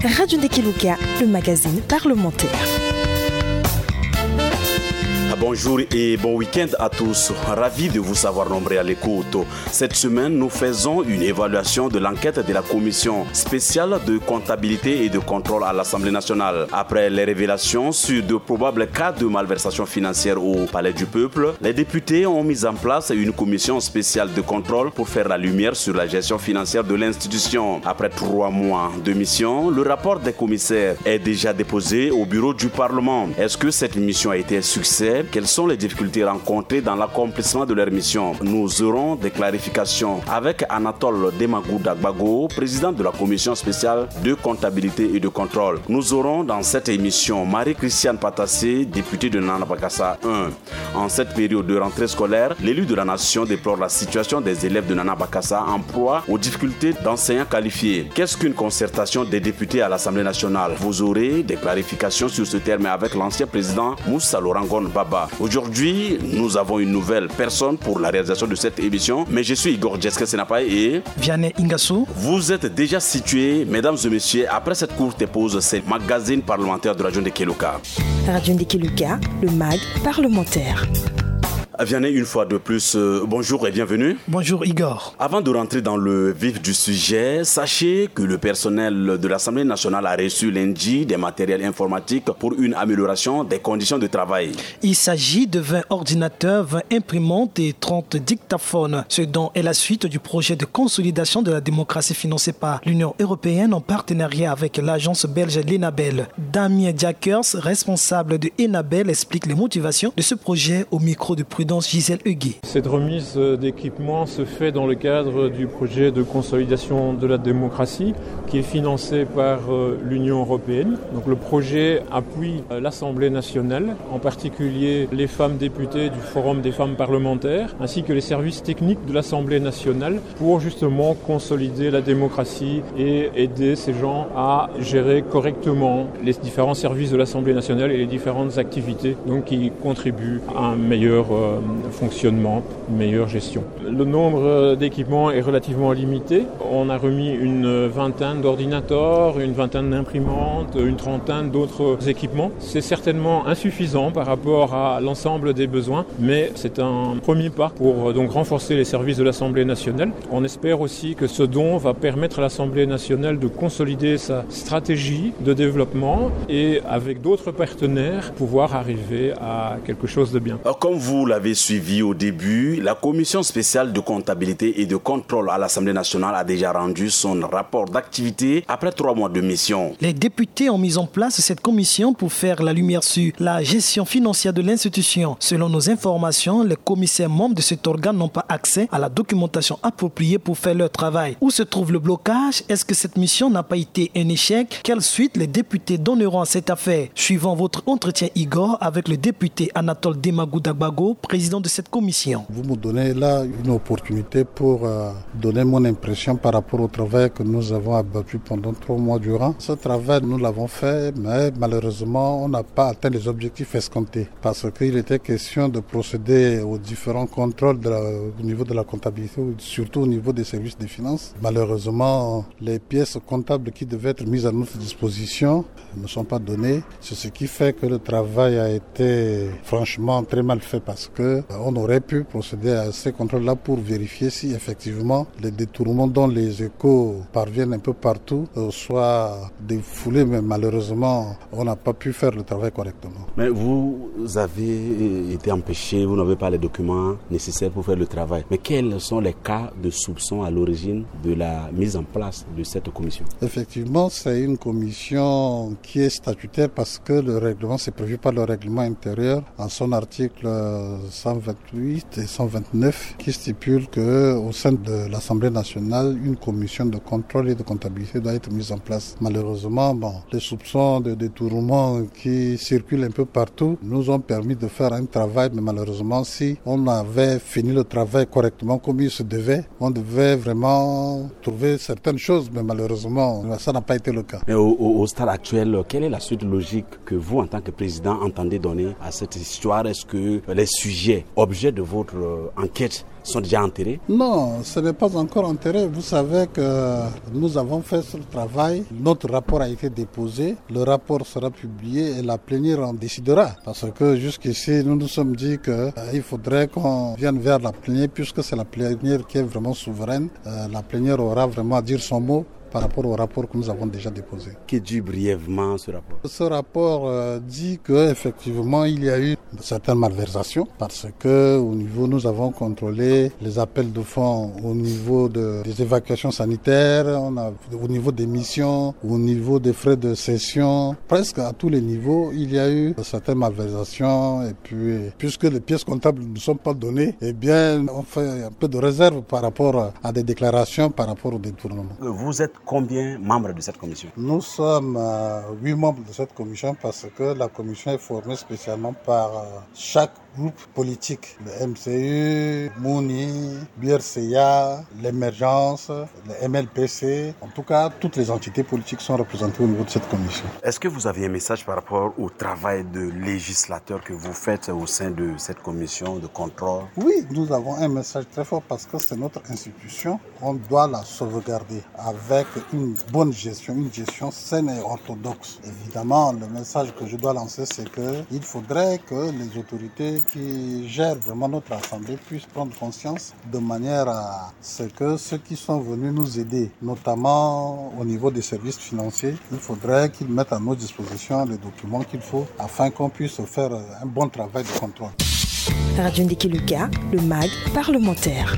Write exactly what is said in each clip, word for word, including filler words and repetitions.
Radio Ndekeluka, le magazine parlementaire. Bonjour et bon week-end à tous. Ravi de vous savoir nombreux à l'écoute. Cette semaine, nous faisons une évaluation de l'enquête de la commission spéciale de comptabilité et de contrôle à l'Assemblée nationale. Après les révélations sur de probables cas de malversation financière au Palais du Peuple, les députés ont mis en place une commission spéciale de contrôle pour faire la lumière sur la gestion financière de l'institution. Après trois mois de mission, le rapport des commissaires est déjà déposé au bureau du Parlement. Est-ce que cette mission a été un succès ? Quelles sont les difficultés rencontrées dans l'accomplissement de leur mission ? Nous aurons des clarifications avec Anatole Demagou Dagbago, président de la commission spéciale de comptabilité et de contrôle. Nous aurons dans cette émission Marie-Christiane Patassé, députée de Nana Bakassa un. En cette période de rentrée scolaire, l'élu de la nation déplore la situation des élèves de Nana Bakassa en proie aux difficultés d'enseignants qualifiés. Qu'est-ce qu'une concertation des députés à l'Assemblée nationale ? Vous aurez des clarifications sur ce terme avec l'ancien président Moussa Laurent Gon Baba. Aujourd'hui, nous avons une nouvelle personne pour la réalisation de cette émission, mais je suis Igor Jeske Senapaye et Vianney Ingasso. Vous êtes déjà situés, mesdames et messieurs, après cette courte pause, c'est Magazine parlementaire de Radio Ndekeluka. Radio Ndekeluka, le mag parlementaire. Vianney, une fois de plus, euh, bonjour et bienvenue. Bonjour Igor. Avant de rentrer dans le vif du sujet, sachez que le personnel de l'Assemblée nationale a reçu lundi des matériels informatiques pour une amélioration des conditions de travail. Il s'agit de vingt ordinateurs, vingt imprimantes et trente dictaphones, ce dont est la suite du projet de consolidation de la démocratie financé par l'Union européenne en partenariat avec l'agence belge l'Enabel. Damien Diakers, responsable de Enabel, explique les motivations de ce projet au micro de Prudence Gisèle Huguet. Cette remise d'équipement se fait dans le cadre du projet de consolidation de la démocratie qui est financé par, euh, l'Union européenne. Donc le projet appuie, euh, l'Assemblée nationale, en particulier les femmes députées du Forum des femmes parlementaires, ainsi que les services techniques de l'Assemblée nationale pour justement consolider la démocratie et aider ces gens à gérer correctement les différents services de l'Assemblée nationale et les différentes activités donc qui contribuent à un meilleur, euh, fonctionnement, une meilleure gestion. Le nombre, euh, d'équipements est relativement limité. On a remis une vingtaine d'ordinateurs, une vingtaine d'imprimantes, une trentaine d'autres équipements. C'est certainement insuffisant par rapport à l'ensemble des besoins, mais c'est un premier pas pour, euh, donc renforcer les services de l'Assemblée nationale. On espère aussi que ce don va permettre à l'Assemblée nationale de consolider sa stratégie de développement et, avec d'autres partenaires, pouvoir arriver à quelque chose de bien. Comme vous l'avez suivi au début, la commission spéciale de comptabilité et de contrôle à l'Assemblée nationale a déjà rendu son rapport d'activité après trois mois de mission. Les députés ont mis en place cette commission pour faire la lumière sur la gestion financière de l'institution. Selon nos informations, les commissaires membres de cet organe n'ont pas accès à la documentation appropriée pour faire leur travail. Où se trouve le blocage ? Est-ce que cette mission n'a pas été un échec ? Quelle suite les députés donneront à cette affaire ? Suivant votre entretien, Igor, avec le député Anatole Demagou Dagbago, président de cette commission. Vous me donnez là une opportunité pour, euh, donner mon impression par rapport au travail que nous avons abattu pendant trois mois durant. Ce travail, nous l'avons fait, mais malheureusement, on n'a pas atteint les objectifs escomptés parce qu'il était question de procéder aux différents contrôles de la, au niveau de la comptabilité, surtout au niveau des services des finances. Malheureusement, les pièces comptables qui devaient être mises à notre disposition ne sont pas données. C'est ce qui fait que le travail a été franchement très mal fait parce que, euh, on aurait pu procéder à ces contrôles-là pour vérifier si effectivement les détournements dont les échos parviennent un peu partout, euh, soient défoulés, mais malheureusement, on n'a pas pu faire le travail correctement. Mais vous avez été empêché, vous n'avez pas les documents nécessaires pour faire le travail. Mais quels sont les cas de soupçon à l'origine de la mise en place de cette commission ? Effectivement, c'est une commission qui est statutaire parce que le règlement, c'est prévu par le règlement intérieur en son article cent vingt-huit et cent vingt-neuf qui stipule que au sein de l'Assemblée nationale, une commission de contrôle et de comptabilité doit être mise en place. Malheureusement, bon, les soupçons de détournement qui circulent un peu partout nous ont permis de faire un travail, mais malheureusement, si on avait fini le travail correctement comme il se devait, on devait vraiment trouver certaines choses, mais malheureusement, ça n'a pas été le cas. Mais au, au, au stade actuel, quelle est la suite logique que vous, en tant que président, entendez donner à cette histoire ? Est-ce que les J'ai objet de votre euh, enquête sont déjà enterrés. Non, ce n'est pas encore enterré. Vous savez que nous avons fait ce travail. Notre rapport a été déposé. Le rapport sera publié et la plénière en décidera. Parce que jusqu'ici, nous nous sommes dit qu'il euh, faudrait qu'on vienne vers la plénière, puisque c'est la plénière qui est vraiment souveraine. Euh, la plénière aura vraiment à dire son mot par rapport au rapport que nous avons déjà déposé. Que dit brièvement ce rapport ? Ce rapport euh, dit qu'effectivement, il y a eu certaines malversations parce que au niveau, nous avons contrôlé les appels de fonds au niveau de, des évacuations sanitaires, on a, au niveau des missions, au niveau des frais de session, presque à tous les niveaux, il y a eu certaines malversations et puis, puisque les pièces comptables ne sont pas données, eh bien, on fait un peu de réserve par rapport à des déclarations par rapport au détournement. Vous êtes combien membres de cette commission ? Nous sommes euh, huit membres de cette commission parce que la commission est formée spécialement par euh, chaque groupe politique, le M C U, Mouni, B R C A, l'Émergence, le M L P C. En tout cas, toutes les entités politiques sont représentées au niveau de cette commission. Est-ce que vous avez un message par rapport au travail de législateur que vous faites au sein de cette commission de contrôle ? Oui, nous avons un message très fort parce que c'est notre institution. On doit la sauvegarder avec une bonne gestion, une gestion saine et orthodoxe. Évidemment, le message que je dois lancer, c'est qu'il faudrait que les autorités qui gèrent vraiment notre assemblée puissent prendre conscience de manière à ce que ceux qui sont venus nous aider, notamment au niveau des services financiers, il faudrait qu'ils mettent à nos dispositions les documents qu'il faut afin qu'on puisse faire un bon travail de contrôle. Radio Ndiki Luka, le mag parlementaire.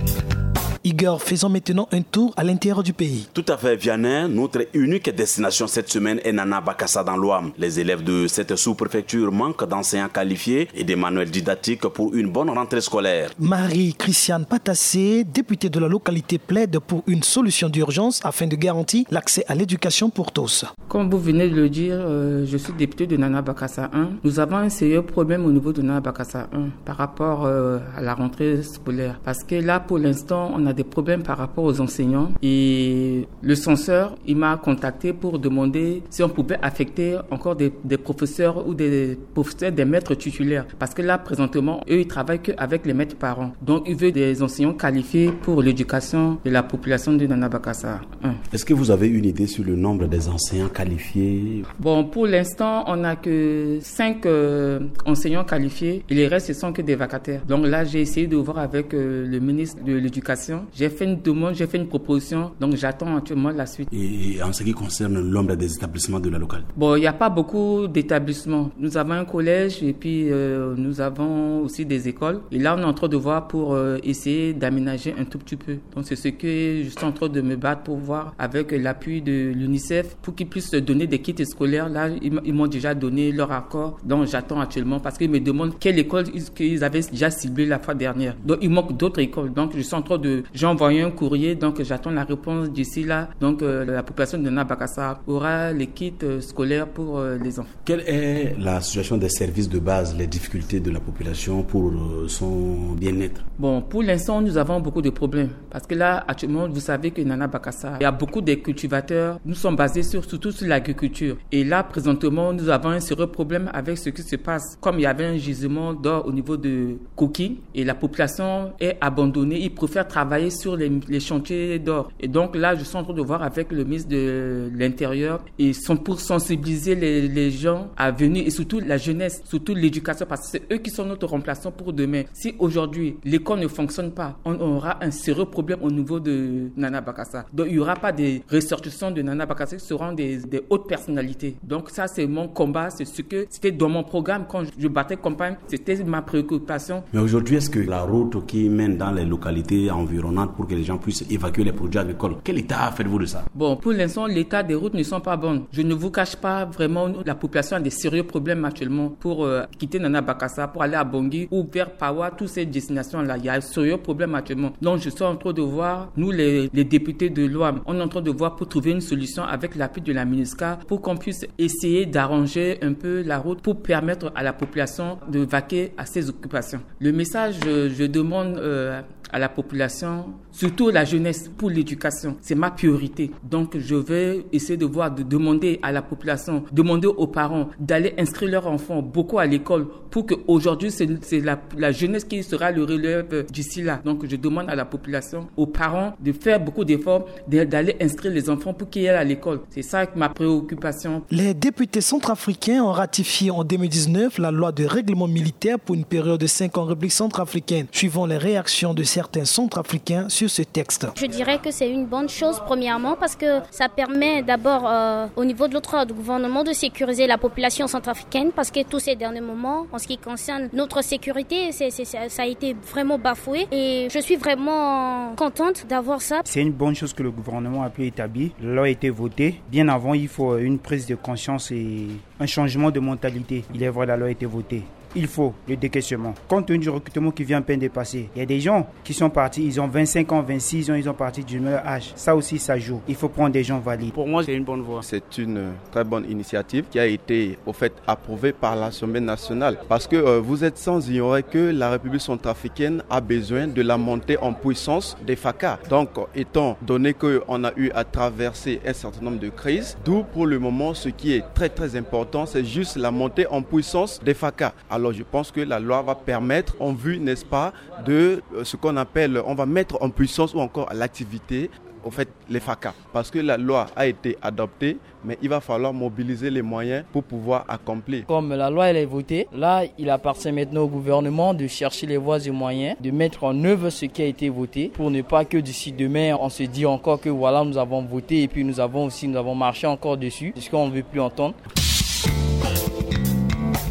Igor, faisons maintenant un tour à l'intérieur du pays. Tout à fait, Vianney. Notre unique destination cette semaine est Nana Bakassa dans l'Ouham. Les élèves de cette sous-préfecture manquent d'enseignants qualifiés et des manuels didactiques pour une bonne rentrée scolaire. Marie-Christiane Patassé, députée de la localité, plaide pour une solution d'urgence afin de garantir l'accès à l'éducation pour tous. Comme vous venez de le dire, euh, je suis député de Nana Bakassa un. Nous avons un sérieux problème au niveau de Nana Bakassa un par rapport euh, à la rentrée scolaire. Parce que là, pour l'instant, on a des problèmes par rapport aux enseignants. Et le censeur, il m'a contacté pour demander si on pouvait affecter encore des, des professeurs ou des professeurs, des maîtres titulaires. Parce que là, présentement, eux, ils travaillent qu'avec les maîtres parents. Donc, il veut des enseignants qualifiés pour l'éducation de la population de Nana Bakassa un. Est-ce que vous avez une idée sur le nombre des enseignants qualifiés ? Bon, pour l'instant, on n'a que cinq euh, enseignants qualifiés et les restes, ce sont que des vacataires. Donc là, j'ai essayé de voir avec euh, le ministre de l'Éducation. J'ai fait une demande, j'ai fait une proposition. Donc, j'attends actuellement la suite. Et en ce qui concerne le nombre des établissements de la localité ? Bon, il n'y a pas beaucoup d'établissements. Nous avons un collège et puis euh, nous avons aussi des écoles. Et là, on est en train de voir pour euh, essayer d'aménager un tout petit peu. Donc, c'est ce que je suis en train de me battre pour voir avec l'appui de l'UNICEF pour qu'ils puissent donner des kits scolaires. Là, ils, ils m'ont déjà donné leur accord. Donc, j'attends actuellement parce qu'ils me demandent quelle école ils, qu'ils avaient déjà ciblée la fois dernière. Donc, il manque d'autres écoles. Donc, je suis en train de... J'ai envoyé un courrier. Donc, j'attends la réponse d'ici là. Donc, euh, la population de Nana Bakassa aura les kits euh, scolaires pour euh, les enfants. Quelle est la situation des services de base, les difficultés de la population pour euh, son bien-être ? Bon, pour l'instant, nous avons beaucoup de problèmes. Parce que là, actuellement, vous savez que Nana Bakassa, il y a beaucoup de cultivateurs. Nous sommes basés sur, surtout sur l'agriculture. Et là, présentement, nous avons un sérieux problème avec ce qui se passe. Comme il y avait un gisement d'or au niveau de Koki, et la population est abandonnée, ils préfèrent travailler sur les, les chantiers d'or. Et donc là, je suis en train de voir avec le ministre de l'Intérieur, ils sont pour sensibiliser les, les gens à venir, et surtout la jeunesse, surtout l'éducation, parce que c'est eux qui sont notre remplaçant pour demain. Si aujourd'hui l'école ne fonctionne pas, on aura un sérieux problème au niveau de Nana Bakassa. Donc il n'y aura pas des ressortissants de Nana Bakassa qui seront des, des hautes personnalités. Donc ça, c'est mon combat, c'est ce que c'était dans mon programme quand je battais campagne, c'était ma préoccupation. Mais aujourd'hui, est-ce que la route qui mène dans les localités environnantes pour que les gens puissent évacuer les produits agricoles, quel état faites-vous de ça ? Bon, pour l'instant, l'état des routes ne sont pas bonnes. Je ne vous cache pas, vraiment, la population a des sérieux problèmes actuellement pour euh, quitter Nana Bakassa, pour aller à Bangui ou vers Paoua, toutes ces destinations-là. Il y a un sérieux problème actuellement. Donc, je suis en train de voir, nous les, les députés de l'Ouham, on est en train de voir pour trouver une solution avec l'appui de la MINUSCA pour qu'on puisse essayer d'arranger un peu la route pour permettre à la population de vaquer à ses occupations. Le message, je, je demande euh, à la population, surtout la jeunesse, pour l'éducation. C'est ma priorité. Donc, je vais essayer de voir, de demander à la population, demander aux parents d'aller inscrire leurs enfants beaucoup à l'école pour qu'aujourd'hui, c'est la jeunesse qui sera le relève d'ici là. Donc, je demande à la population, aux parents, de faire beaucoup d'efforts, d'aller inscrire les enfants pour qu'ils aillent à l'école. C'est ça ma préoccupation. Les députés centrafricains ont ratifié en deux mille dix-neuf la loi de règlement militaire pour une période de cinq ans en République centrafricaine, suivant les réactions de certains centrafricains sur ce texte. Je dirais que c'est une bonne chose, premièrement, parce que ça permet d'abord, euh, au niveau de l'autre, du gouvernement, de sécuriser la population centrafricaine, parce que tous ces derniers moments, en ce qui concerne notre sécurité, c'est, c'est, ça a été vraiment bafoué. Et je suis vraiment contente d'avoir ça. C'est une bonne chose que le gouvernement a pu établir. La loi a été votée. Bien avant, il faut une prise de conscience et un changement de mentalité. Il est vrai, la loi a été votée. Il faut le décaissement. Compte tenu du recrutement qui vient à peine de passer, il y a des gens qui sont partis, ils ont vingt-cinq ans, vingt-six ans, ils ont parti du même âge. Ça aussi, ça joue. Il faut prendre des gens valides. Pour moi, c'est une bonne voie. C'est une très bonne initiative qui a été, au fait, approuvée par l'Assemblée nationale. Parce que euh, vous êtes sans ignorer que la République centrafricaine a besoin de la montée en puissance des FACA. Donc, étant donné qu'on a eu à traverser un certain nombre de crises, d'où pour le moment, ce qui est très, très important, c'est juste la montée en puissance des FACA. Alors, je pense que la loi va permettre, en vue, n'est-ce pas, de euh, ce qu'on appelle, on va mettre en puissance ou encore à l'activité, au fait, les FACA. Parce que la loi a été adoptée, mais il va falloir mobiliser les moyens pour pouvoir accomplir. Comme la loi, elle est votée, là, il appartient maintenant au gouvernement de chercher les voies et moyens de mettre en œuvre ce qui a été voté pour ne pas que d'ici demain, on se dise encore que voilà, nous avons voté et puis nous avons aussi, nous avons marché encore dessus, puisqu'on ne veut plus entendre.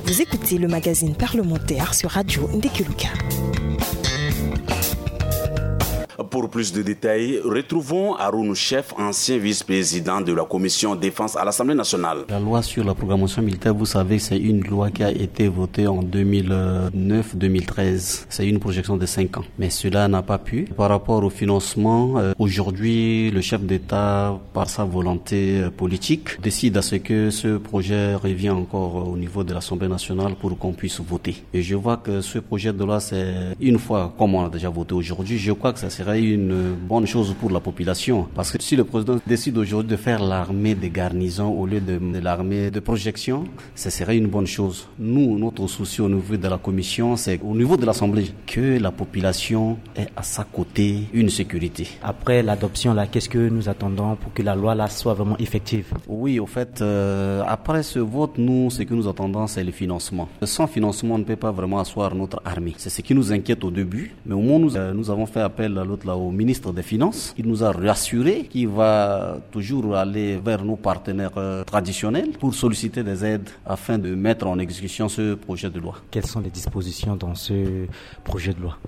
Vous écoutez le magazine parlementaire sur Radio Ndekeluka. Pour plus de détails, retrouvons Haroun Chef, ancien vice-président de la commission défense à l'Assemblée nationale. La loi sur la programmation militaire, vous savez, c'est une loi qui a été votée en deux mille neuf deux mille treize. C'est une projection de cinq ans. Mais cela n'a pas pu. Par rapport au financement, euh, aujourd'hui, le chef d'État, par sa volonté euh, politique, décide à ce que ce projet revienne encore au niveau de l'Assemblée nationale pour qu'on puisse voter. Et je vois que ce projet de loi, c'est une fois, comme on a déjà voté aujourd'hui, je crois que ça serait une bonne chose pour la population. Parce que si le président décide aujourd'hui de faire l'armée des garnisons au lieu de, de l'armée de projection, ce serait une bonne chose. Nous, notre souci au niveau de la commission, c'est au niveau de l'Assemblée, que la population ait à sa côté une sécurité. Après l'adoption, là, qu'est-ce que nous attendons pour que la loi là soit vraiment effective ? Oui, au fait, euh, après ce vote, nous, ce que nous attendons, c'est le financement. Sans financement, on ne peut pas vraiment asseoir notre armée. C'est ce qui nous inquiète au début. Mais au moins, nous, euh, nous avons fait appel à l'autre là, au ministre des Finances. Il nous a rassuré qu'il va toujours aller vers nos partenaires euh, traditionnels pour solliciter des aides afin de mettre en exécution ce projet de loi. Quelles sont les dispositions dans ce projet de loi ?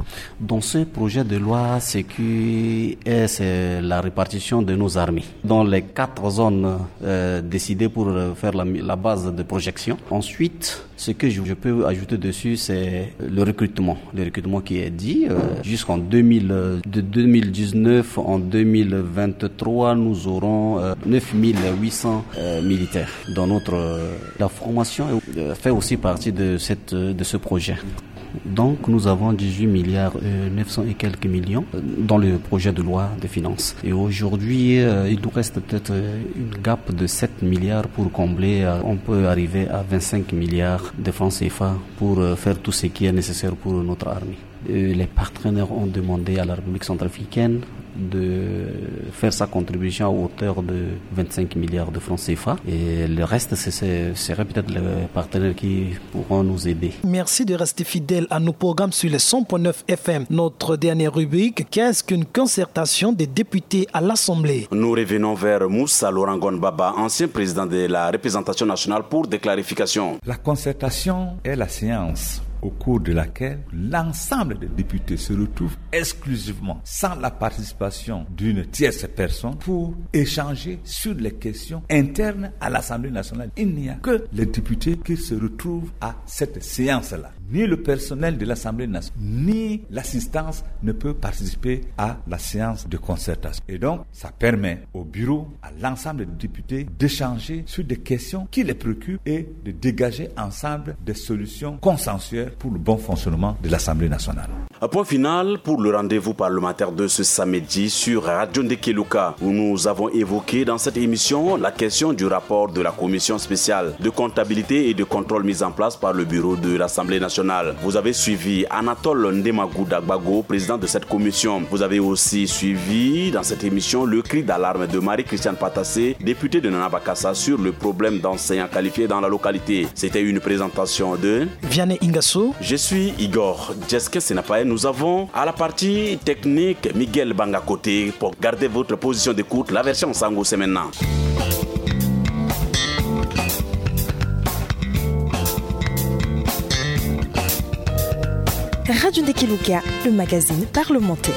Dans ce projet de loi, ce qui est, c'est la répartition de nos armées. Dans les quatre zones euh, décidées pour euh, faire la, la base de projection. Ensuite, ce que je, je peux ajouter dessus, c'est le recrutement. Le recrutement qui est dit, euh, jusqu'en deux mille, euh, de deux mille dix-neuf en deux mille vingt-trois, nous aurons euh, neuf mille huit cents euh, militaires dans notre... euh, la formation euh, fait aussi partie de, cette, euh, de ce projet. Donc nous avons dix-huit milliards euh, neuf cents et quelques millions euh, dans le projet de loi de finances. Et aujourd'hui, euh, il nous reste peut-être euh, une gap de sept milliards pour combler. Euh, on peut arriver à vingt-cinq milliards de francs C F A pour euh, faire tout ce qui est nécessaire pour notre armée. Euh, les partenaires ont demandé à la République centrafricaine de faire sa contribution à hauteur de vingt-cinq milliards de francs C F A. Et le reste, ce serait peut-être les partenaires qui pourront nous aider. Merci de rester fidèle à nos programmes sur les cent point neuf F M. Notre dernière rubrique, qu'est-ce qu'une concertation des députés à l'Assemblée ? Nous revenons vers Moussa Laurent Gonbaba, ancien président de la représentation nationale, pour des clarifications. La concertation est la séance au cours de laquelle l'ensemble des députés se retrouvent exclusivement, sans la participation d'une tierce personne, pour échanger sur les questions internes à l'Assemblée nationale. Il n'y a que les députés qui se retrouvent à cette séance-là. Ni le personnel de l'Assemblée nationale, ni l'assistance ne peut participer à la séance de concertation. Et donc, ça permet au bureau, à l'ensemble des députés, d'échanger sur des questions qui les préoccupent et de dégager ensemble des solutions consensuelles pour le bon fonctionnement de l'Assemblée nationale. Un point final pour le rendez-vous parlementaire de ce samedi sur Radio Ndekeluka, où nous avons évoqué dans cette émission la question du rapport de la commission spéciale de comptabilité et de contrôle mise en place par le bureau de l'Assemblée nationale. Vous avez suivi Anatole Ndemagou Dagbago, président de cette commission. Vous avez aussi suivi dans cette émission le cri d'alarme de Marie-Christiane Patassé, députée de Nana Bakassa, sur le problème d'enseignants qualifiés dans la localité. C'était une présentation de Vianney Ingasso. Je suis Igor Jeskin Senapae. Nous avons à la partie technique Miguel Bangakote. Pour garder votre position d'écoute, la version Sango, c'est maintenant. Radio Ndekeluka, le magazine parlementaire.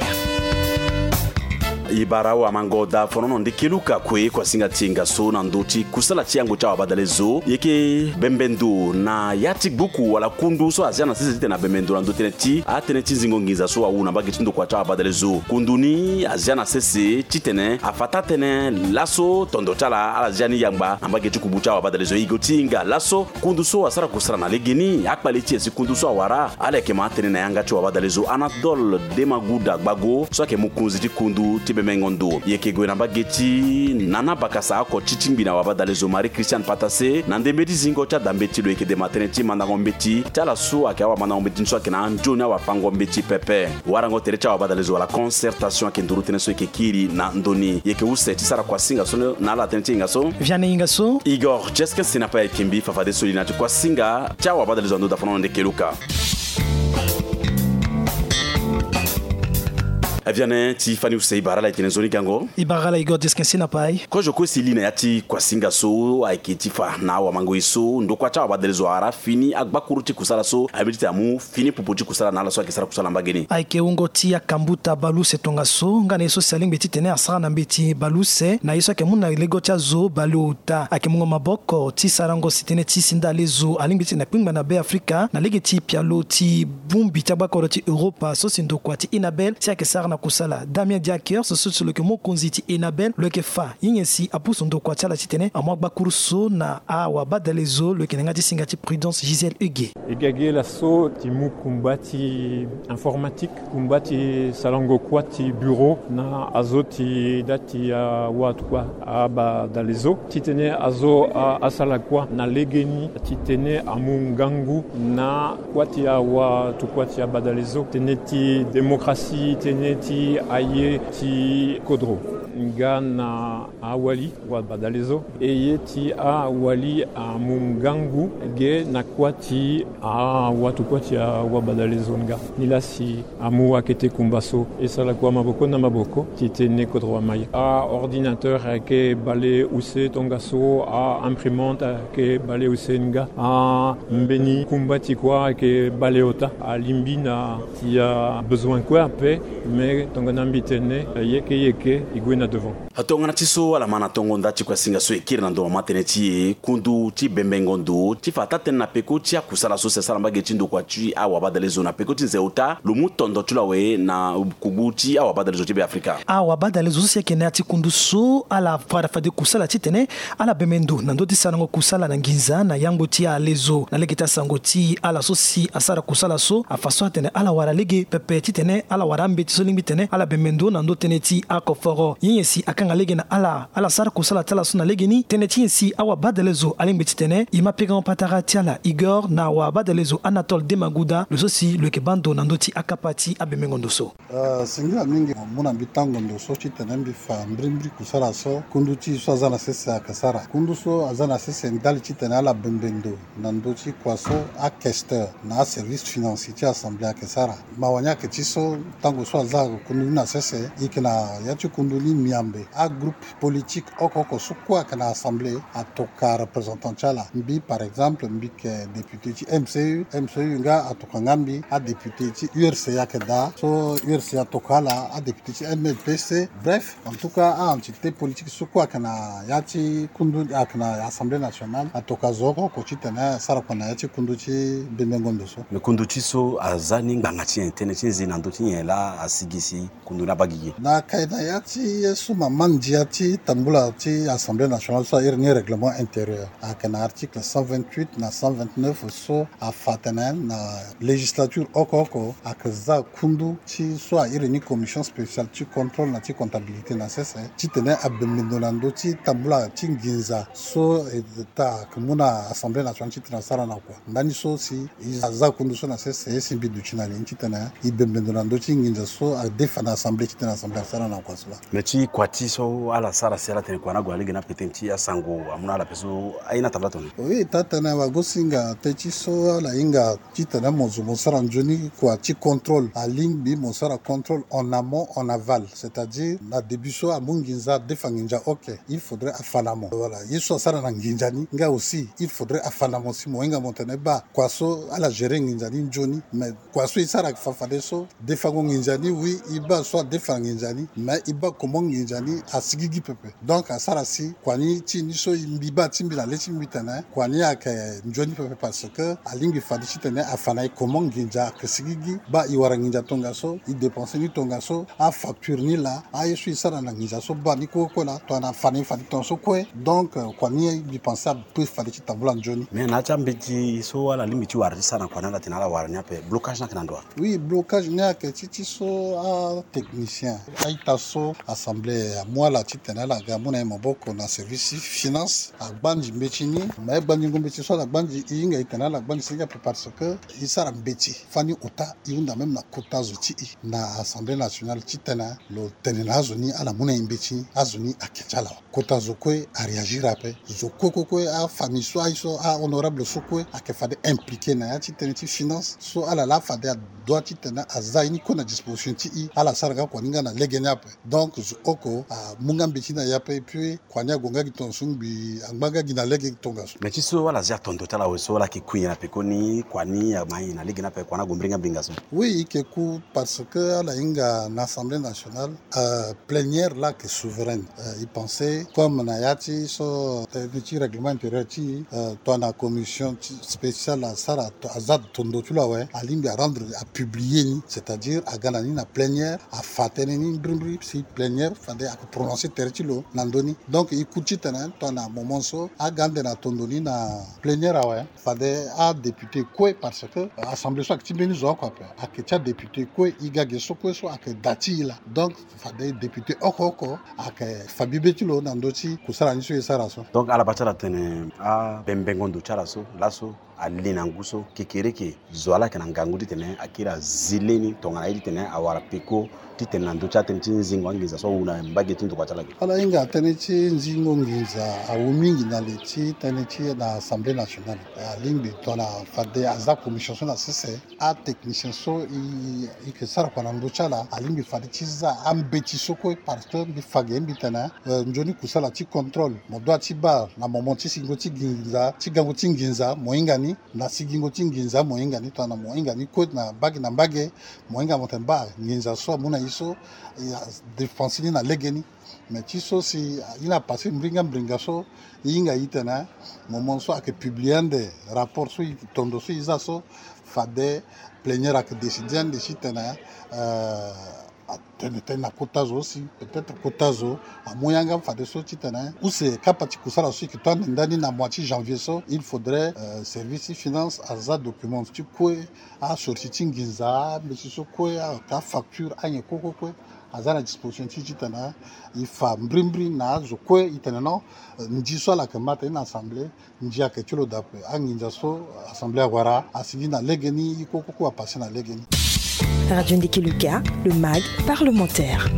E bara awamango da fonono Ndekeluka kue kuasinga ti e nga so na ndö ti kusala ti yango ti awabadalezo. E yeke bembe ndo na ya ti gbuku wala kundu so azia na sese titene abembe ndo na ndö tënë ti atënë ti zingo nginza so awu na mbage ti ndokua ti awabadalezo. Kundu ni azia na sese titene afa taa-tënë laso tondo ti ala ala zia ni yangba na mbage ti kubu ti awabadalezo. E go ti hinga laso kundu so asara kusala na legeni, akpale ti e si kundu so awara, ala yeke ma atënë na yanga ti wabadalezo Anatole Demaguda Gbago so ayeke mokonzi ti kundu ti bembengo ndo. E yeke gue na mbage ti Nana Bakasa oko ti tingbi na wabadalezo Marie Christiane Patassé na ndembe ti zingo ti adambeti lo yeke dema tënë ti mandango mbeti ti ala so ayeke awamandango mbeti ni so ayeke na anzoni awapango mbeti pepe. Warango tere ti awabadalezo wala concertation ayeke nduru tënë so e yeke kiri na ndo ni. E yeke use ti sara kuasinga so na ala tënë ti hinga so. Vianney Ingasso. Igor Jeskin Senapae ayeke mbi fafadeso li na ti kuasinga ti awabadalezo na ndo dafono na Ndekeluka. Aviane ti fani use e bara ala e tene nzoni gango. E bara ala Igor Jeskin Senapae. Kozo kue si e li na ya ti kuasinga so ayeke ti fa na awamango ye so ndokua ti awabadalezo awara fini agbakuru ti kusala so aye mbeti ti amu fini popo ti kusala na ala so ayeke sara kusala na mbage ni. Ayeke wungo ti akambuta baleuse tongaso nga na ye so si alingbi titene asara na mbeti baleuse na ye so ayeke mu na lego ti azo baleota. Ayeke mungo maboko ti sarango si tënë ti sinda alezo alingbi titene akpingba na Be Afrika na lege ti pialo ti bongbi ti agbakoro ti Europa so si ndokua ti Enabel si ayeke sara na kusala. Damien Diakers so si lo yeke mokonzi ti Enabel lo yeke fa ye nyen si apusu ndokua ti ala titene amu agbakuru so na awabadalezo. Lo yeke na yanga ti singa ti Prudence Gisèle Huguet. E ga ge laso ti mu kumba ti informatique, kumba ti sarango kuâ ti bureau na azo ti da ti awatuku abadalezo titene azo a, asara kuâ na legeni titene amu ngangu na kuâ ti awatuku ti abadalezo, tënë ti démocratie, tënë ti aye ti kodro nga na awali wabadalezo. E ye ti awali amu ngangu ge na kuâ ti awatuku ti awabadalezo nga. Nilaa si amu akete kumba so e sara kua maboko na maboko titene kodro amai. A ordinateur ayeke baleuse tongaso, a imprimante ayeke baleuse nga. Ambeni kumba ti kuâ ayeke baleota. Alingbi na ti abesoin kue ape, mais tongana mbi tene yeke yeke e gue na devant. Tongana ti so ala ma na tongo nda ti kuasinga so e kiri na ndo mama tënë ti e kundu ti bembengo ndo ti fa taa-tënë na peko ti akusala so si asara mbage ti ndokua ti awabadalezo na peko ti nze ota lo mu tondo ti lo awe na kubu ti awabadalezo ti Be Afrika. Awabadalezo so si ayeke na ya ti kundu so ala fade fade kusala titene ala bembe ndo na ndö ti sarango kusala na nginza na yango ti alezo na lege ti asango ti ala so si asara kusala so afa so atene ala wara lege pepe titene ala wara ambeti so lingbi tene ala bembe ndo na ndö tënë ti akoforo. Ye nyen si akanga lege na ala ala sara kusala ti ala so na legeni? Tënë ti nyen si awabadalezo alingbi titene e ma pekango patara ti ala? Igor na awabadalezo Anatole Demaguda lo so si lo yeke baa ndo na ndö ti akapa ti abembengo ndo so. Ah, singila mingi mu na mbi tango ndo so titene mbi fa mbirimbiri kusala so kundu ti e so aza na sese ayeke sara. Kundu so aza na sese ndali titene ala bembe ndo na ndö ti kua so akesteur na aservice financier ti assemblée ayeke sara. Mawa ni ayeke ti so tango so aza kundu ni na sese e yeke na ya ti kundu ni. Miambe, agroupe politique oko oko so kue ayeke na assemblée atoka représentant ti ala. Mbi par exemple mbi yeke député ti M C U, M C U nga atoka nga mbi. Adéputé ti U R C ayeke daa so U R C atoka ala, adéputé ti M L P C. Bref, en tout cas a-entité politique so kue ayeke na ya ti kundu ayeke na Assemblée nationale atoka zo oko oko titene asara kua na ya ti kundu ti bembengo ndo so. Me kundu ti so aza ni ngbanga ti nyen, tënë ti nze na ndö ti nyen laa asigi si kundu ni abaa gigi? Na yeke na ya ti ye so mama ndia ti tambula ti Assemblée nationale so a iri ni règlement intérieur, ayeke na article cent vingt-huit na cent vingt-neuf so afa atene na législature oko oko ayeke za kundu ti so a iri ni commission spéciale ti contrôle na ti comptabilité na sese titene abembe ndo na ndö ti tambula ti nginza so e ta ayeke mu na Assemblée nationale titene asara na kua. Ndani so si e za kundu so na sese si mbi duti na ni titene e bembe ndo na ndö ti nginza so adefa na assemblée titene assemblée asara na kua so laa. Me ti kua ti so ala sara si ala tene kua ni ague na lege ni ape tënë ti asango amu na ala ape so aye ni atambula tongana nyen? Oui, taa tene wagosinga tënë ti so ala hinga titene mo zo mo sara nzoni kua ti contrôle. Alingbi mo sara contrôle en amont, en aval, c'est-à-dire na début so amu nginza adefa nginza, ok, il faudrait afa na mo. Voilà, ye so asara na nginza ni nga aussi il faudrait afa na mo si mo hinga mo tene baa kua so ala gérer nginza ni nzoni. Mais kua so e sara fa fadeso defango nginza ni, oui, e baa so adefa nginza ni, mais e baa comment nginza ni asigigi pepe. Donc asara si kua ni ti e ni so mbi baa ti mbi na le ti mbi tene kua ni ayeke nzoni pepe parce que alingbi fade titene afa na e comment nginza ayeke sigigi, baa e wara nginza tongaso, e dépenser ni tongaso, afacture ni laa, aye so e sara na nginza so baa ni kue kue laa, tongana afa na e fade tongaso kue. Donc euh, kua ni mbi pense ape fade ti tambula nzoni. Mais na ya ti ambeti so ala lingbi ti wara ti sara na kua ni ala tene ala wara ni ape, blocage ni ayeke na ndo wa? Oui, blocage ni ayeke ti ti so atechnicien a-ita so assemblée amu ala titene ala ga amu na e maboko na service ti finance, agbanzi mbeti ni. Mais gbanzingo mbeti so ala gbanzi e hinga e tene ala gbanzi si ni ape parce que e sara mbeti fani ota e hunda même na kota zo ti e na Assemblée nationale titene lo tene na azo ni ala mu na e mbeti ni, azo ni ayeke ti ala wa. Kota zo kue aréagir ape. Zo kue kue kue afamille so aye so ahonorable so kue ayeke fade impliqué na ya ti tënë ti finance so ala laa fade adoit titene aza ye ni kue na disposition ti e, ala sara nga kua ni nga na lege ni ape. Donc zo oko amu nga mbeti ni na e ape, et puis kua ni ague nga gi tongaso ngbi angba nga gi na lege tongaso. Mais ti so ala zia tondo ti ala awe so ala yeke kui nyen na pekoni, kua ni ama nyen na lege ni ape, kua ni ague mbiri nga mbinga so? Oui, e yeke ku parce que ala hinga na Assemblée nationale, euh, plénière laa ayeke souveraine. Euh, e pense comme na ya ti so tënë ti règlement intérieur ti euh, tongana commission ti spéciale asara aza tondo ti lo awe, alingbi arendre apublier ni, c'est-à-dire aga na ni na plénière afa tënë ni mbirimbiri si plénière fade ayeke prononcer tere ti lo na ndö ni. Donc e ku titene tongana moment so aga ande na tondo ni na plénière awe, fade adéputé kue, parce que assemblée so ayeke ti mbeni zo oko ape, ayeke ti adéputé kue, e ga ge so kue so ayeke da ti e laa. Donc fade député oko oko ayeke fa bibe ti lo na ndö ti kusala ni so e sara so. Donc ala baa ti ala tene abembengo ndo ti ala so laso ali na ngu so kekereke zo ala yeke na ngangu titene akiri azi leni tongana ye titene awara peko titene na ndö ti atënë ti nzingo anginza so awu na mbage ti ndokua ti ala ge. Ala hinga tënë ti nzingo nginza awu mingi na le ti tënë ti na Assemblée nationale. Alingbi tongana fade aza commission so na sese, atechnicien so e, e yeke sara kua na ndö ti ala, alingbi fade ti za ambeti so kue parce que mbi fa ge mbi tene euh, nzoni kusala ti contrôle mo doit ti baa na moment ti sigingo ti nginza, ti gango ti nginza mo hinga ni, na sigingo ti nginza mo hinga ni, tongana mo hinga ni kue na mbage na mbage, mo hinga mo tene baa nginza so amu na e so, e, adépense ni na legeni. Mais ti so si e na passé mbringa mbringa so, e hinga e tene moment so ayeke publier ande rapport so e tondo so e za so, fade plénière ayeke décider ande titene euh, atene tënë na kota zo aussi, peut-être kota zo amu yanga fadeso titene use kapa ti kusala so e yeke to ande ndani na mois ti janvier so, il faudrait euh, service ti finance aza document ti kue, asorti ti nginza, mbeti so kue, ayeke afacture, anyen kue kue kue aza na disposition ti e titene e fa mbirimbiri na azo kue e tene non, euh, ndi so ala yeke ma tënë na assemblée, ndi ayeke ti lo daa ape. Anginza so assemblée awara asigi na legeni, e kue kue kue apassé na legeni. Radio Ndeke Luka, le mag parlementaire.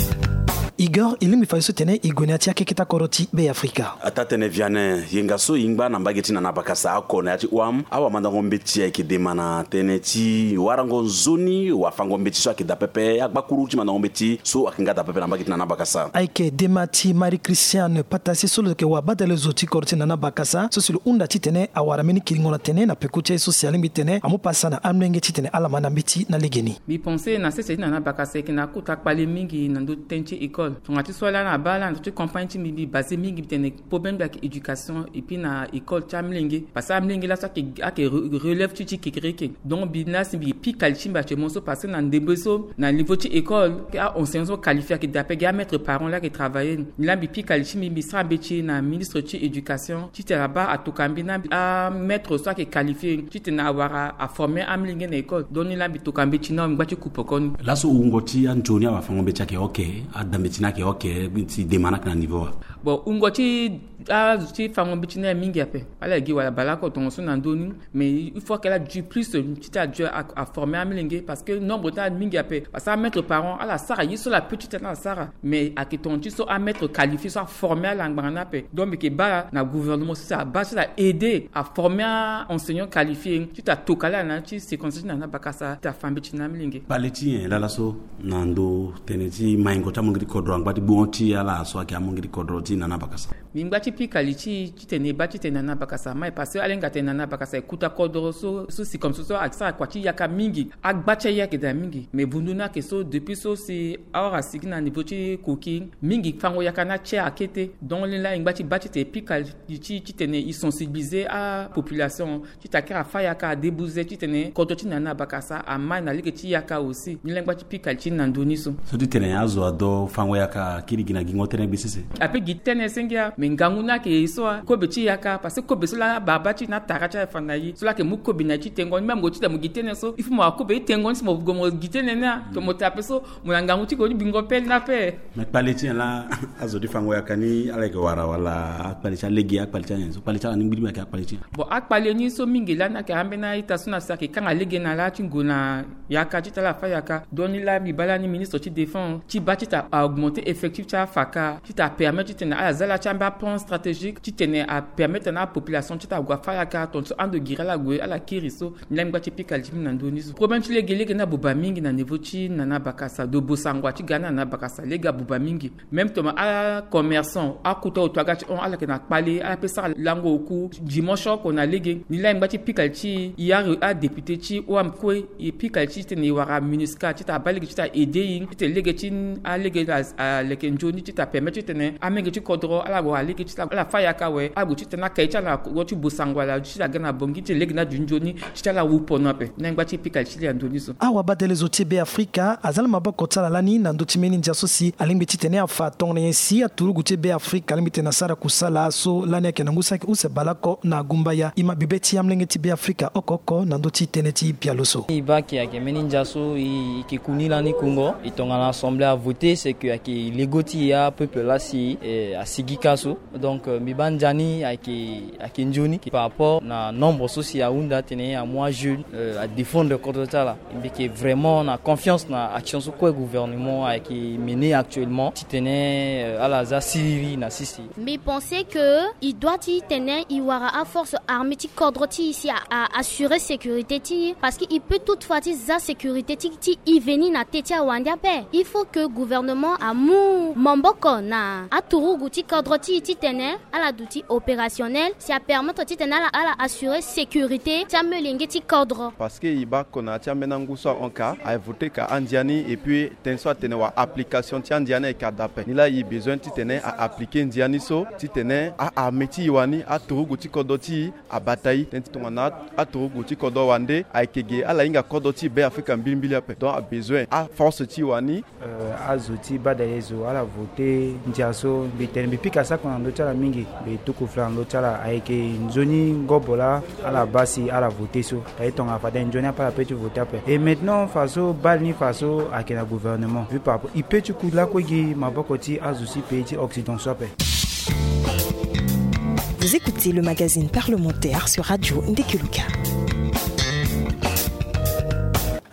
Igor, e lingbi fa ye so tene e gue na ya ti akeketa kodro ti Be Afrika. Atatene Vianen, yenga so e ngba na mbage ti Nana Bakasa oko na ya ti OAM, awamandango mbeti ayeke dema na tënë ti warango nzoni wafango mbeti so ayeke daa pepe, agbakuru ti mandango mbeti so ayeke nga daa pepe na mbage ti Nana Bakasa. Ayeke dema ti Marie Christiane Patase so lo yeke wabadale zo ti kodro ti Nana Bakasa so si lo hunda titene awara mbeni kiringo na tene na peko ti aye so si alingbi titene amu pasa na amolenge titene ala ma na mbeti na legeni. Mbi pense na sese ti Nana Bakasa ayeke na kota kpale mingi na ndö ti tënë ti école. Tonga ti so ala na baa ala na ndö ti campagne ti mbi, mbi base mingi mbi tene problème ayeke éducation et puis na école ti amolenge. Parce que amolenge laso ayeke, ayeke re-, relève ti, ti kekereke. Donc mbi na si mbi pika li ti mbi actuellement so parce que na ndembe so na niveau ti école, a enseignant so qualifié ayeke daa pepe, gi amaître parent laa ayeke travailler. Ni laa mbi pika li ti mbi, mbi sara mbeti na ministre ti éducation titene abaa atoka mbi na amaître so ayeke qualifié titene awara aformer amolenge na école. Donc ni laa mbi toka mbeti na mbi ngba ti ku poko ni. Laso wungo ti anzoni awafango mbeti ayeke oke, adambeti ni ayeke oke, ti dema ni ayeke na niveau wa? Bon, wungo ti azo ti fango mbeti ni aye mingi ape. Ala gi wala baleoko tongaso na ndö ni. Mais il faut que ala du plus ti ti adio a, aformer amolenge parce que nombre ti ala mingi ape. Parce que amaître parent ala sara ye so ala peut titene ala sara. Mais ayeke tonga ti so amaître qualifié so aformer ala ngbanga ni ape. Donc mbi yeke baa na gouvernement so si abaa so ala aider aformer aenseignant qualifié ti atoka ala na ti séquence ti Nana Bakasa ti afa mbeti na amolenge. Kpale ti nyen laa laso na ndö tënë ti maingo ti amonge ti kodro angba ti gbongo ti ala so ayeke amonge ti kodro ti Nana Bakasa? Mbi ngba ti pika li ti titene e baa titene Nana Bakasa amai parce que ala hinga tene Nana Bakasa e kota kodro so, so si comme so so asara kua ti yaka mingi. Agba ti aye ayeke daa mingi. Mais vundu ni ayeke so depuis so si awara asigi na niveau ti koki mingi fango yaka ni atie akete. Donc ni laa e ngba ti baa titene e pika li ti titene e sensibiliser apopulation ti takiri afa yaka adebuze titene kodro ti Nana Bakasa amai na lege ti yaka aussi. Ni laa e ngba ti pika li ti na ndö ni so. So titene azo ado fango yaka akiri gi na gingo tënë gbe sese? Ape gi tënë senge a, me ngangu ni ayeke ye so a, kobe ti yaka parce que kobe so laa baba ti na tara ti aye fa na ye so laa ayeke mu kobe na ye ti tengo ni même mo titene mo gi tënë so il faut mo akobe ti tengo ni si mo gue mo gi tënë ni a. To mo taa ape so mo na ngangu ti gue ti bingo pele ni ape. Mais kpale ti nyen laa azo ti fango yaka ni ala yeke wara wala akpale ti alege, akpale ti anyen so, kpale ti ala ni ngbi ti mbi ayeke akpale ti nyen? Bon, akpale ni so mingi lani ayeke ambeni a-ita so na si ayeke kanga lege na ala ti ngu na yaka ti tala afa yaka. Donc ni laa mbi baa lani ministre ti défense ti baa ti ta augmenter effectif ti afaka ti ta permettre titene ala za ala ti ambeni aplan stratégique titene apermettre na apopulation ti ta gue afa yaka tongaso ando giri ala gue ala kiri so. Ni laa mbi ngba ti pika li ti mbi na ndö ni so. Problème ti lege, lege ni abuba mingi na niveau ti Nana Bakasa, do bosangwa ti ga ni na Nana Bakasa, lege abuba mingi. Même toma acommerçant, akota oto aga ti hon ala yeke na kpale, ala pe sara lango oku dimanche oko na lege. Ni laa e ngba ti pika li ti e, adéputé ti OAM kue, e pika li ti titene e wara MINUSCA ti ta baa lege ti ta aider e titene lege ti alege aleke nzoni ti ta permettre titene amenge ti kodro ala wara lege ti ta ala fa yaka awe, ala gue titene akaye ti ala na kodro ti bosangwa ala ti ta ga na bongi titene lege ni adu nzoni ti ti ala wu pono ape. Ni laa e ngba ti pika li ti le na ndö ni so. Awabadale zo ti Be Afrika aza na maboko ti ala lani na ndö ti mbeni ndia so si alingbi titene afa tongana nyen si aturugu ti Be Afrika alingbi titene asara kusala so lani ayeke na ngu so ayeke use baleoko na gumbaya. E ma bibe ti amolenge ti Be Afrika oko oko na ndö ti tënë ti pialo so. E baa ayeke, ayeke mbeni ndia so e, e yeke ku ni lani kungo. E tongana assemblée avoté, c'est que ayeke lego ti e apeuple laa si, eh, asigi ka so. Donc, euh, mbi baa ndia ni ayeke, ayeke nzoni par rapport na nombre so si ahunda atene amu ajeune, euh, adéfendre kodro ti ala. Mbi yeke vraiment na confiance na action so kue gouvernement ayeke mener actuellement titene, euh, ala za siriri na sese. Mbi pense que e doit titene e wara aforce armée ti kodro ti e si a, a assurer sécurité ti e, parce que e peut toutefois ti za sécurité ti, ti e veni na tê ti awande ape. Il faut que gouvernement amu maboko na aturugu ti kodro ti e titene ala duti opérationnel, si apermettre titene ala, ala assurer sécurité ti amolenge ti kodro. Parce que e baa oko na ya ti ambeni angu so ahon ka, a voté ka andia ni, et puis tënë so atene wala application ti andia ni ayeke daa ape. Ni laa e besoin titene a appliquer ndia ni so titene a armée ti e wani, aturugu ti kodro ti e abata e. Tënë ti tongana aturugu ti kodro wande ayeke ge ala hinga kodro ti e Be Afrika mbilimbili ape. Donc a besoin aforce ti e wani. Euh, azo ti badale zo ala voté ndia so, mbi tene mbi pika sako na ndö ti ala mingi, mbi tuku fla na ndö ti ala, ayeke nzoni ngobo laa ala baa si ala voté so. Aye tongana fade nzoni ape ala peut ti voté ape. Et maintenant faso bale ni faso ayeke na gouvernement, vu par rapport e peut ti ku lakue gi maboko ti azo ti pays ti Occident so ape. Vous écoutez le magazine parlementaire sur Radio Ndekeluka.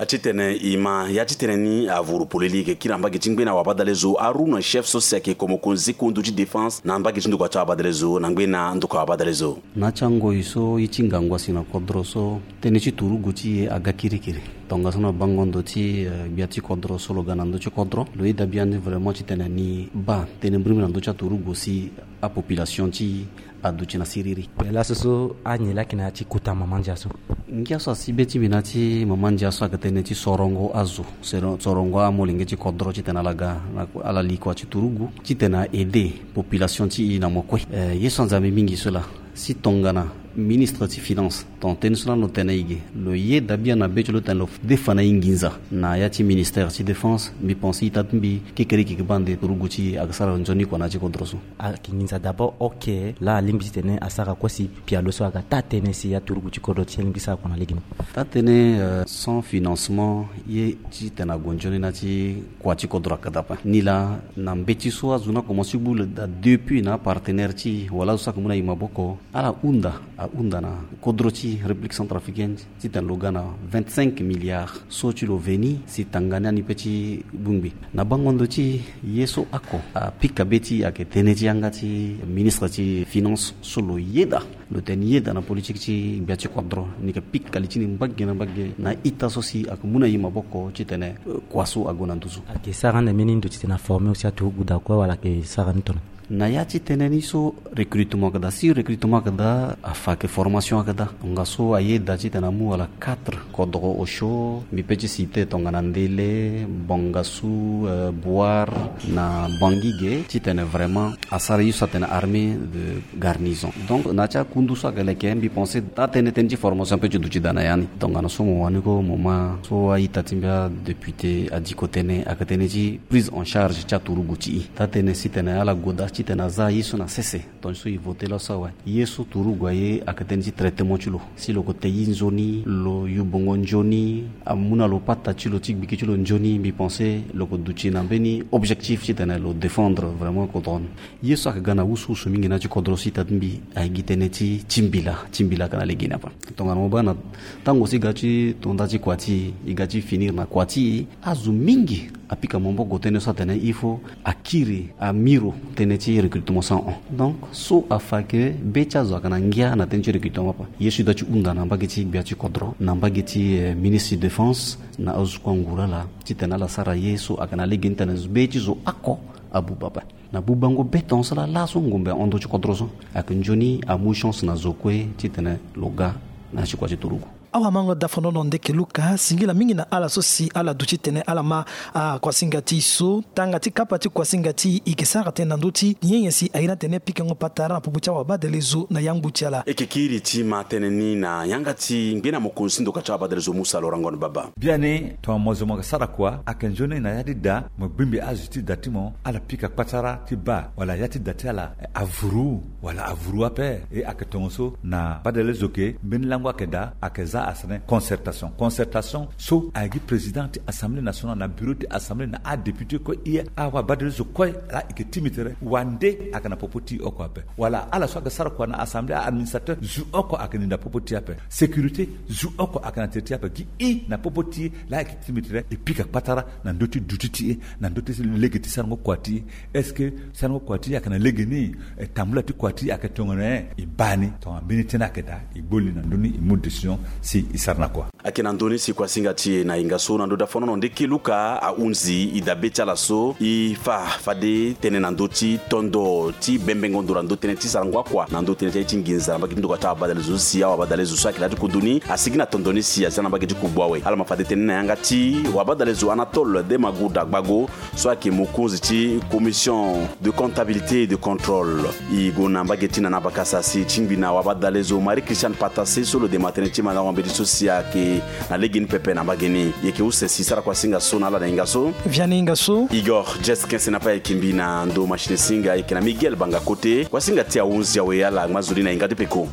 Titene e ma ya titene ni avuru polele, e yeke kiri na mbage ti ngbene awabadalezo Harouna, chef so si ayeke ko mokonzi ti kundu ti défense na mbage ti ndokua ti awabadalezo. Na ngbene ndokua awabadalezo. Na ya ti angoi so ye ti ngangu asi na kodro so, tënë ti turugu ti e aga kirikiri. Tongaso na bango ndo ti, eh, gbia ti kodro so lo ga na ndö ti kodro, lo yeda biani vraiment titene ni baa tënë mbirimbiri na ndö ti aturugu si apopulation ti e aduti na siriri. Laso so anyen laa ayeke na ya ti kota mama ndia so. Ngia so asi be ti mbi na ya ti mama ndia so ayeke tënë ti sorongo azo, soro-, sorongo amolenge ti kodro titene ala ga na ala li kua ti turugu titene a aider population ti e na mo kue. Eh, ye so anzambe mingi so laa. Si tongana ministre ti finance, tongana tënë so laa lo tene e ge, lo yeda biani na be ti lo titene lo defa na e nginza na ya ti ministère ti défense, mbi pense ita ti mbi kekereke yeke baa nde turugu ti e ayeke sara nzoni kua na ya ti kodro so. Ayeke nginza d'abord, ok, laa alingbi titene asara kue si pialo so aga taa-tënë si aturugu ti kodro ti e alingbi sara kua na lege ni. Taa-tënë, euh, sans financement ye titene ague nzoni na ya ti kua ti kodro ayeke daa ape. Nilaa na mbeti so azo ni akomanse ti gbu lo daa depuis na apartenaire ti e wala azo so ayeke mu na e maboko, ala hunda, ahunda na kodro ti République centrafricaine titene lo ga na vingt-cinq milliards so ti lo veni si tanga ni ani pe ti bongbi. Na bango ndo ti e, ye so oko apika be ti e ayeke tënë ti yanga ti ministre ti finance so lo yeda, lo tene ni yeda na politique ti gbia ti kodro, ni yeke pika li ti ni mbage na mbage na ita so si ayeke mu na e maboko titene, euh, kua so ague na nduzu. Ayeke sara ande mbeni ndo titene aforme aussi aturugu daa kue wala ayeke sara ni tongana? Na ya ti tënë ni so recrutement ayeke daa. Si recrutement ayeke daa, afa ayeke formation ayeke daa. Tongaso ayeda titene amu wala quatre kodro osio, mbi pe ti citer tongana Ndele, Bangassou, euh, Bouar na Bangui ge, titene vraiment asara ye so atene armée de garnison. Donc na ya ti akundu so ayeke leke, mbi pense taa-tënë, tënë ti formation pe ti duti daa na ya ni. Tongana so mo wani ko, mo ma so a-ita ti mbi adéputé adiko tënë, ayeke tënë ti prise en charge ti aturugu ti e. Taa-tënë si tene ala gue daa titene aza ye so na sese. Tongana so e voté laso awe, ye so turugu aye ayeke tënë ti traitement ti lo. Si lo ko te ye nzoni, lo yu bongo nzoni, amu na lo pata ti lo ti gbiki ti lo nzoni, mbi pense lo ko duti na mbeni objectif titene lo défendre vraiment kodro ni. Ye so ayeke ga na wusuwusu mingi na ya ti kodro so ita ti mbi ayeke gi tënë ti timbila. Timbila ayeke na legeni ape. Tongana mo baa na tango so e ga ti to nda ti kua ti e, e ga ti finir na kua ti e, azo mingi apika maboko tënë so atene il faut akiri amiro tënë ti recrutement sans hon. Donc so afa ayeke be ti azo ayeke na ngia na tënë ti recrutement ape. Ye so e doit ti hunda na mbage ti gbia ti kodro, na mbage ti, eh, ministre ti défense, na azo so kue anguru ala titene ala sara ye so ayeke na legeni titene be ti zo oko abuba ape. Na bubango be tongaso laa, laso ngombe ahon ndö ti kodro so, ayeke nzoni amu chance na zo kue titene lo ga na ya ti kua ti turugu. Awamango dafanono Ndeke Luka, singila mingi na ala so si ala duti titene ala ma akuasinga ti e so. Tanga ti kapa ti kuasinga ti e, e yeke sara tënë na ndö ti nyen nyen si aye ni atene pikango patara na popo ti awabadalezo na yangbu ti ala. E yeke kiri ti ma tënë ni na yanga ti ngbene mokonzi ti ndoka ti awabadalezo Musa Laurent Ngon Baba. Biani, tongana mo zo mo yeke sara kua, ayeke nzoni na ya ti da, mo gbingbi azo ti da ti mo, ala pika kpatara ti baa wala ya ti da ti ala, eh, avuru wala avuru ape. E ayeke tongaso na badalezo ke mbeni lango ayeke daa, ayeke za asene concertation. Concertation so ayeke gi président ti Assemblée nationale na bureau ti Assemblée na adéputé kue, e, awabadalezo kue laa e yeke timi tere, wande ayeke na popo ti e oko ape. Wala ala so ayeke sara kua na Assemblée, a-administrateur, zo oko ayeke na popo ti e ape. Sécurité, zo oko ayeke na tere ti e ape. Gi e na popo ti e laa e yeke timi tere, e pika kpatara na ndö ti duti ti e, na ndö ti lege ti sarango kua ti e. Est-ce que sarango kua ti e ayeke na legeni? E, tambula ti kua ti e ayeke tongana nyen? E baa ni. Tongana mbeni tënë ayeke daa, e gbo li na ndö ni, e mu décision si e sara na kua. Ayeke na ndö ni si kuasinga ti e na hinga so na ndö dafanono Ndeke Luka ahunzi e dabe ti ala so e fa fade tënë na ndö ti tondo ti bembengo ndo na ndö tënë ti sarango akua na ndö tënë ti aye ti nginza na mbage ti ndoka ti awabadalezo so si awabadalezo so ayeke na ya ti kodro ni asigi na tondo ni si aza na mbage ti kugbu awe. Ala ma fade tënë ni na yanga ti wabadalezo Anatole Demagounda Gbago so ayeke mokonzi ti commission de comptabilité et de contrôle. E gue na mbage ti Nana Bakasa si e tingbi na wabadalezo Marie Christiane Patassé so lo dema tënë ti mandango mbeti so si ayeke na legeni pepe na mbage ni. E yeke use si e sara kuasinga so na ala na hinga so. Vianney Ingasso. Igor Jess Kensena pe ayeke mbi na ndo machine singa, e yeke na Miguel Banga Kote. Kuasinga ti e ahunzi awe, ala ngba nzoni na hinga ti peko.